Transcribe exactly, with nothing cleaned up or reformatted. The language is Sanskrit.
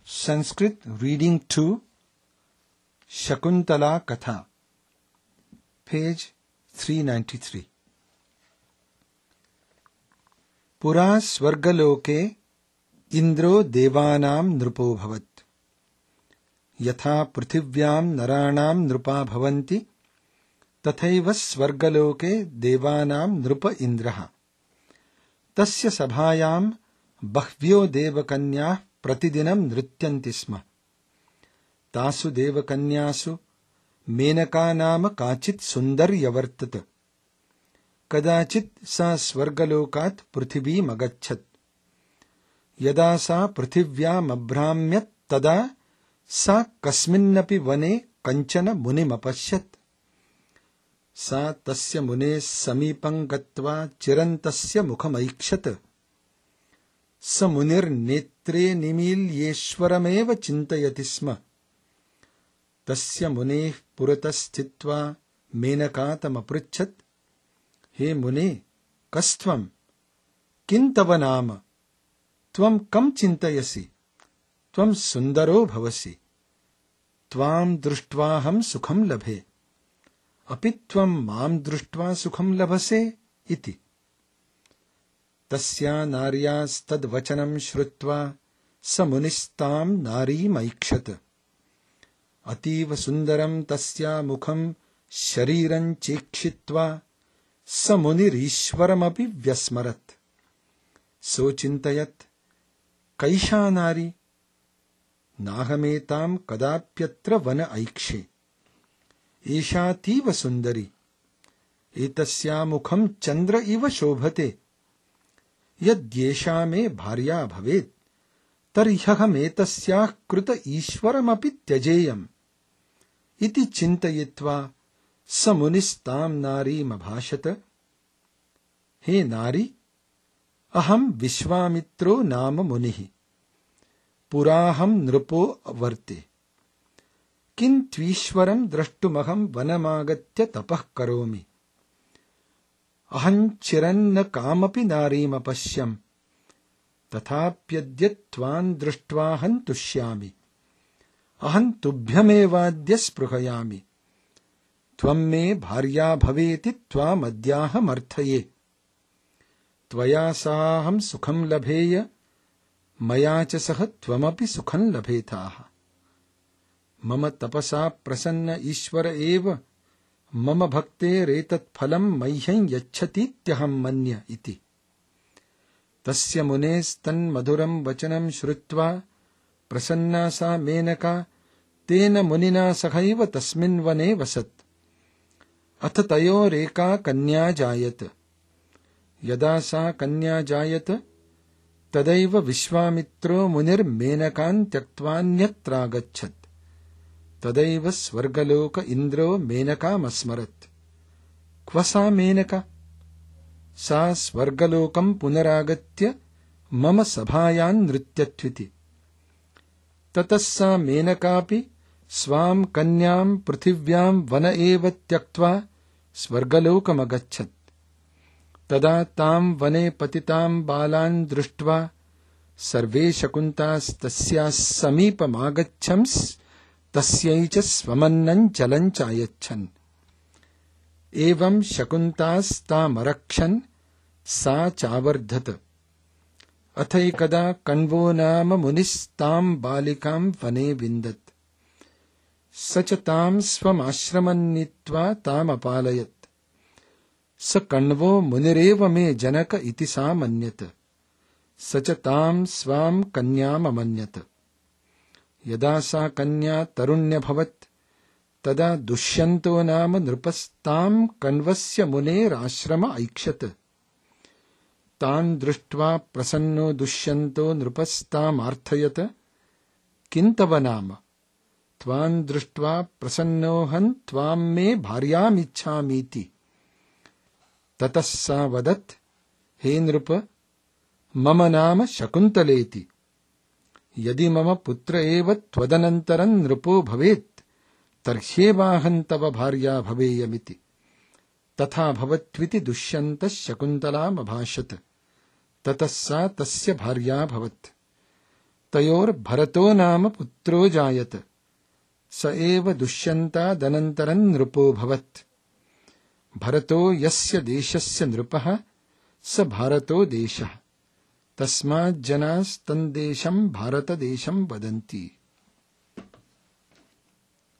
Sanskrit Reading two, Shakuntala Katha, page three ninety-three. Pura Swargaloke Indro Devanam Nrupo Bhavat Yatha Prithivyaam Naranam Nrupa Bhavanti Tathaiva Swargaloke Devanam Nrupa Indraha Tasya Sabhayam Bahvyo Devakanyah Pratidinam Nrityanti Sma Tasu Devakanyasu Menaka Nama Kachit Sundarya Vartata Kadachit Sa Swargalokat Prithivī Magachat Yada Sa Prithivyam Abhramyat Tada Sa Kasminnapi Vane Kanchana Munim Apashyat Sa Tasya Mune Samipam Gatva Chirantasya Mukhamaikshat Sa Munir Netre Nimil Yeshwarameva Chintayati Sma Tasya Mune Puratas Chitva Menakatam Aprichat He Mune Kastvam Kintava Nama Tvam Kam Chintayasi Tvam Sundaro Bhavasi Tvam Drustvaham Sukham Labhe Apitvam Mam Društva Sukham Labhase Iti Tasya Naryas Tad Vachanam Shrutva Samunistam Nari Maikshat Ativa Sundaram Tasya Mukham Shariran Chekshitva Samunir Ishwaramapi Vyasmarat So Chintayat Kaisha Nari Nahametam Kadapyatra Vana Aikshe Esha Tiva Sundari Etasya Mukham Chandra Iva Shobhate Yadyesha me bharya bhavet Taryaham etasyah kruta ishwaramapi tyajeyam Iti chintayitva Samunistam nari mabhashata He nari Aham Vishwamitro nama munihi Puraham nrupo avarte Kin tvishwaram drashtumaham vanamagatya tapah karomi Aham chiranna kamapi narim apashyam Tathapyadyat tvan drushtvahan tushyami Aham tubhyamevadya spruhayami Tvam me bharya bhaveti tvam adyaham arthaye Tvaya saham sukham labheya Maya cha saha tvamapi sukham labhetaha Mama tapasa prasanna ishvara eva Mama bhakte retat phalam mayham yachhati tyaham manya iti Tasya munes tan madhuram vachanam shrutva prasanna sa menaka tena munina sakhaiva tasmin vane vasat atha tayo reka kanya jayat yada sa kanya jayat tadaiva vishwamitro munir menakan tyaktvaanyatra gachat tadaiva swargaloka indro menaka masmarat kvasa menaka Sa swargalokam punaragatya mama sabhayan nrityatviti Tatassa menakapi swam kanyam prithivyam vana eva tyaktva swargalokam agachat Tada tam vane patitam balan drushtva sarve shakuntas tasyas samipam agachams tasyaicha swamannan chalan chayachan Evam shakuntas tam arakshan sa chavardhat Athaikada kanvo nama munis tam balikam vane vindat Sachatam swam ashramannitva tam apalayat Sa kanvo munireva me janaka iti sa manyat Sachatam swam kanyam amanyat Yada sa kanya tarunya bhavat Tada dushyanto nama nrupastam kanvasya muner ashrama aikshat. Tan drushtva prasanno dushyanto nrupastam arthayata. Kintava nama. Tvan drushtva prasannohan tvam me bharyam ichhamiti. Tatassa vadat. He nrupa. Mama nama shakuntaleti. Yadi mama putra eva tvadanantaran nrupo bhavet. Tarhyevaham tava bharya bhaveyamiti Tatha bhavatviti तयोर्भरतो नाम पुत्रो जायत स एव दुष्यन्तादनन्तरं नृपोऽभवत्। भरतो यस्य देशस्य नृपः स भारतो देशः, तस्माज्जनास्तन्देशं भारतदेशं वदन्ति।